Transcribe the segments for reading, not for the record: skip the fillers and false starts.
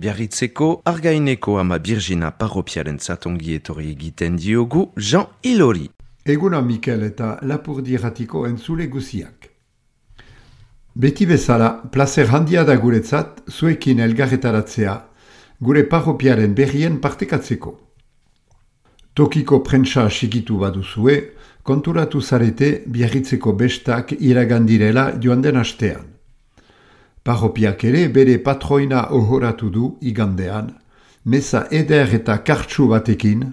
Biarritzeko Argaineko ama Birjina parropiaren zatongi etorri egiten diogu Jean Ilori. Eguna Mikel eta Lapurdi Erratiko entzule guziak. Beti bezala, placer handia da guretzat, zuekin elgarretaratzea, gure parropiaren berrien partekatzeko. Tokiko prentsa sigitu baduzue, konturatu zarete Biarritzeko bestak iragandirela joan den astean. Parropiak ere bere patroina ohoratu du igandean, meza eder eta kartsu batekin,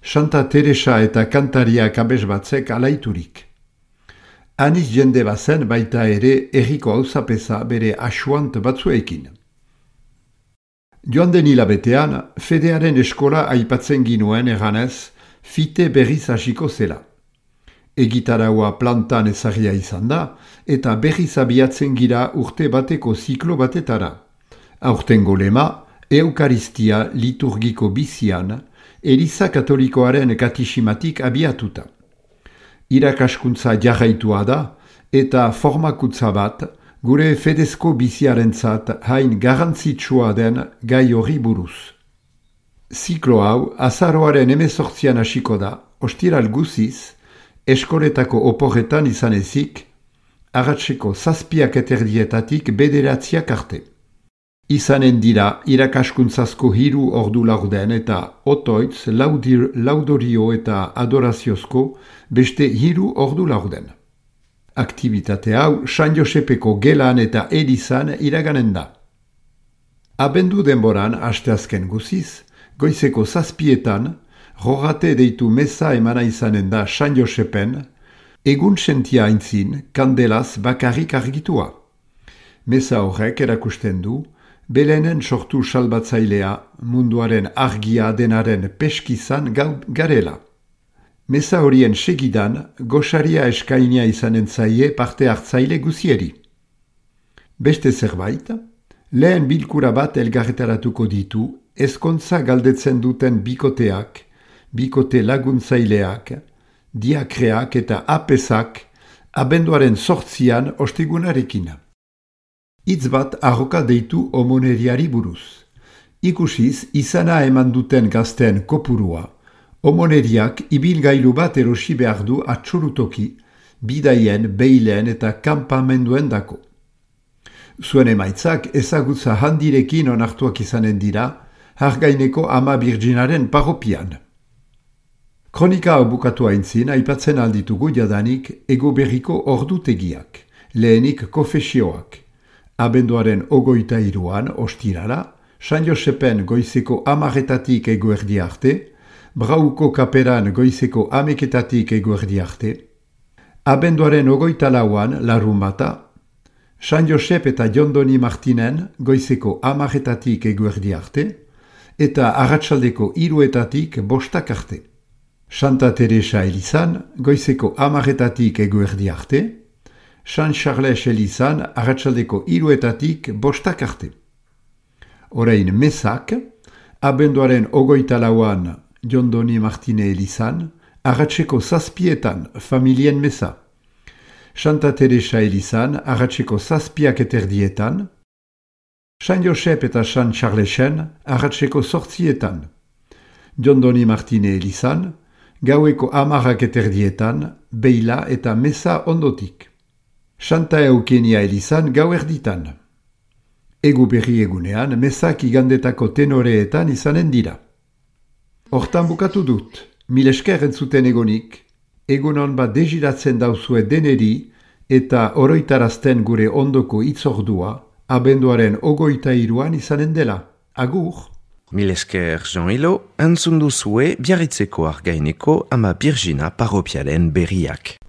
Santa Teresa eta kantariak abesbatzek alaiturik. Aniz jende bazen baita ere erriko hauzapeza bere asuant batzuekin. Joan den hilabetean, fedearen eskola aipatzen ginuen eganez, fite berriz hasiko zela. Egitaraua plantan ezagia izan da, eta berriz abiatzen gira urte bateko ziklo batetara. Aurtengo lema, Eukaristia liturgiko bizian, Eliza Katolikoaren katisimatik abiatuta. Irakaskuntza jarraitua da, eta formakutza bat, gure fedezko biziarentzat hain garrantzitsua den gai horri buruz. Ziklo hau, azaroaren 18an hasiko da, ostiral guziz, eskoletako oporretan izan ezik, arratseko 7:30 bederatziak arte. Izanen dira irakaskuntzazko 3 ordu laurden eta otoitz laudorio eta adoraziozko beste 3 ordu laurden. Aktibitate hau San Josepeko gelan eta elizan iraganen da. Abendu denboran asteazken guziz, goizeko 7etan, rogate deitu meza emana izanen da San Josepen, egun sentia aintzin kandelaz bakarrik argitua. Meza horrek erakusten du, Belenen sortu salbatzailea munduaren argia denaren peskizan garela. Meza horien segidan, gosaria eskainia izanen zaie parte hartzaile guzieri. Beste zerbait, lehen bilkura bat elgarretaratuko ditu, ezkontza galdetzen duten bikoteak, bikote laguntzaileak, diakreak eta apesak, abenduaren 8an ostegunarekin. Hitz bat arroka deitu omoneriari buruz. Ikusiz, izana eman duten gazteen kopurua, omoneriak ibilgailu bat erosi behar du atxurutoki, bidaien, beilen eta kanpamenduen dako. Zuen emaitzak ezagutza handirekin onartuak izanen dira, Argaineko ama Birjinaren parropian. Kronika hau bukatu aintzin, aipatzen alditugu jadanik ego berriko ordutegiak, lehenik konfesioak. Abenduaren 23an ostirala, San Josepen goizeko 10:00 eguerdi arte, Brauko kaperan goizeko 11:00 eguerdi arte, abenduaren 24an larunbata, San Josep eta Jondoni Martinen goizeko 10:00 eguerdi arte, eta arratsaldeko 3:00 5:00 arte. Santa Teresa elizan goizeko 10:00 eguerdi arte, San Charles elizan arratsaldeko 3:00 5:00 arte. Orain mesak, abenduaren 24an Jondoni Martine elizan, arratseko 7etan familien mesa. Santa Teresa elizan, arratseko 7:30, San Josep eta San Charlesen, arratseko 8etan. Jondoni Martine elizan, gaueko 10:30, beila eta mesa ondotik. Santa Eukenia elizan gauerditan. Egu berri egunean, mesak igandetako tenoreetan izanen dira. Hortan bukatu dut, mil esker entzuten egonik, egunon bat deziratzen dauzue deneri eta oroitarazten gure ondoko itzordua, abenduaren 23an izanen dela. Agur! Mil esker Jean Ilo, entzun duzue Biarritzeko Argaineko ama Birjina parropiaren berriak.